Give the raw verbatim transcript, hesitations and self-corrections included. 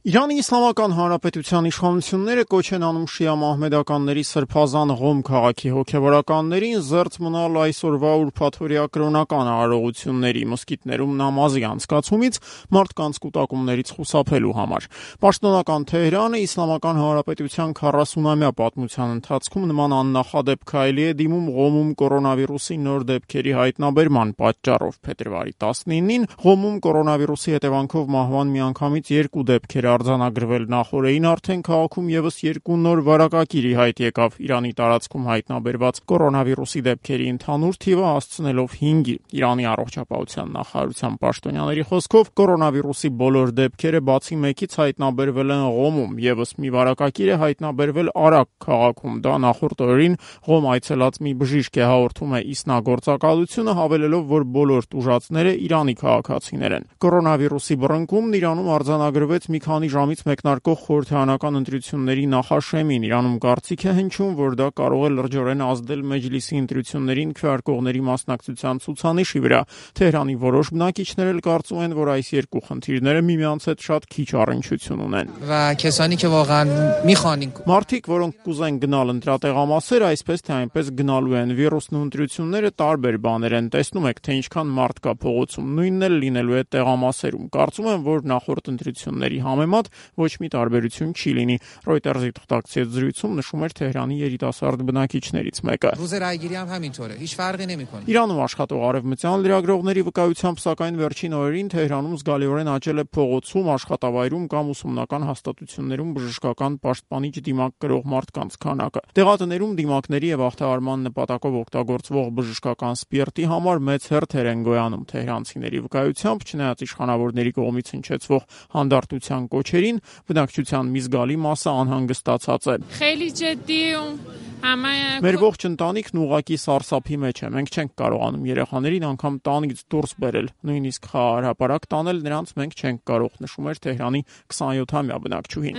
Իրանի Իսլամական Հանրապետության իշխանությունները կոչ են անում շիա մահմեդականների սրբազան Ղոմ քաղաքի հոգևորականներին զերծ մնալ այսօրվա ուրբաթօրյա կրոնական արարողությունների, մոսկիտներում նամազի անցկացումից, մարդկանց կուտակումներից խուսափելու համար։ Պաշտոնական Թեհրանը Իսլամական Հանրապետության քառասունամյա պատմության ընթացքում նման աննախադեպ քայլի է դիմում Ղոմում կորոնավիրուսի նոր դեպքերի հայտնաբերման պատճառով։ Փետրվարի տասնինին Ղոմում կորոնավիրուսի հետևանքով մահվան միանգամից երկու դեպքեր արձանագրվել, նախորդին արդեն քաղաքում եւս երկու նոր վարակագիր ի հայտ եկավ։ Իրանի տարածքում հայտնաբերված կորոնավիրուսի դեպքերի ընդհանուր թիվը հասցնելով հինգի։ Իրանի առողջապահության նախարարության պաշտոնյաների խոսքով կորոնավիրուսի բոլոր դեպքերը բացի մեկից հայտնաբերվել են Ղոմում, եւս մի վարակագիր է հայտնաբերվել Արաք քաղաքում։ Դա նախորդ օրերին Ղոմ այցելած մի բժիշկ է, հաղորդում է ԻՍՆԱ գործակալությունը, հավելելով, որ բոլոր տուժածները Իրանի քաղաքացիներ են։ Կորոնավիրուսի բռնկումն Իրանում արձանագրվեց մի քանի ժամից մեկնարկող խորհրդարանական ընտրությունների նախաշեմին։ Իրանում կարծիք է հնչում, որ դա կարող է լրջորեն ազդել Մեջլիսի ընտրություններին քվեարկողների մասնակցության ցուցանիշի վրա։ Թեհրանի որոշ բնակիչներ էլ կարծում են, որ այս երկու խնդիրները միմյանց հետ շատ քիչ առնչություն ունեն։ Մարդիկ, որոնք կուզեն գնալ ընտրատեղամասեր, այսպես թե այնպես գնալու են։ Վիրուսն ու ընտրությունները տարբեր բաներ են։ Տեսնում եք, թե ինչքան մարդ կա փողոցում, նույնն էլ լինելու է տեղամասերում։ Կարծում եմ, որ նախորդ ընտրությունների համեմատ ոչ մի տարբերություն չի լինի։ Reuters-ի թղթակցի հետ զրույցում նշում էր Թեհրանի երիտասարդ բնակիչներից մեկը։ Իրանում աշխատող արևմտյան լրագրողների վկայությամբ, սակայն վերջին օրերին Թեհրանում զգալիորեն աճել է փողոցում, աշխատավայրում կամ ուսումնական հաստատություններում բժշկական պաշտպանիչ դիմակ կրող մարդկանց քանակը։ Տեղատներում դիմակների եւ ախտահարման նպատակով օգտագործվող բժշկական սպիրտի համար մեծ հերթեր են գոյանում։ Թեհրանցիների վկայությամբ, չնայած իշխանավորների կողմից հնչեցվող հանդարտության կոչերին, բնակչության մի զգալի մասը անհանգստացած է։ Մեր ողջ ընտանիքն ուղղակի սարսափի մեջ է։ Մենք չենք կարողանում երեխաներին անգամ տանից դուրս բերել, նույնիսկ խաղահրապարակ տանել նրանց մենք չենք կարող, նշում էր Թեհրանի քսանյոթամյա բնակչուհին։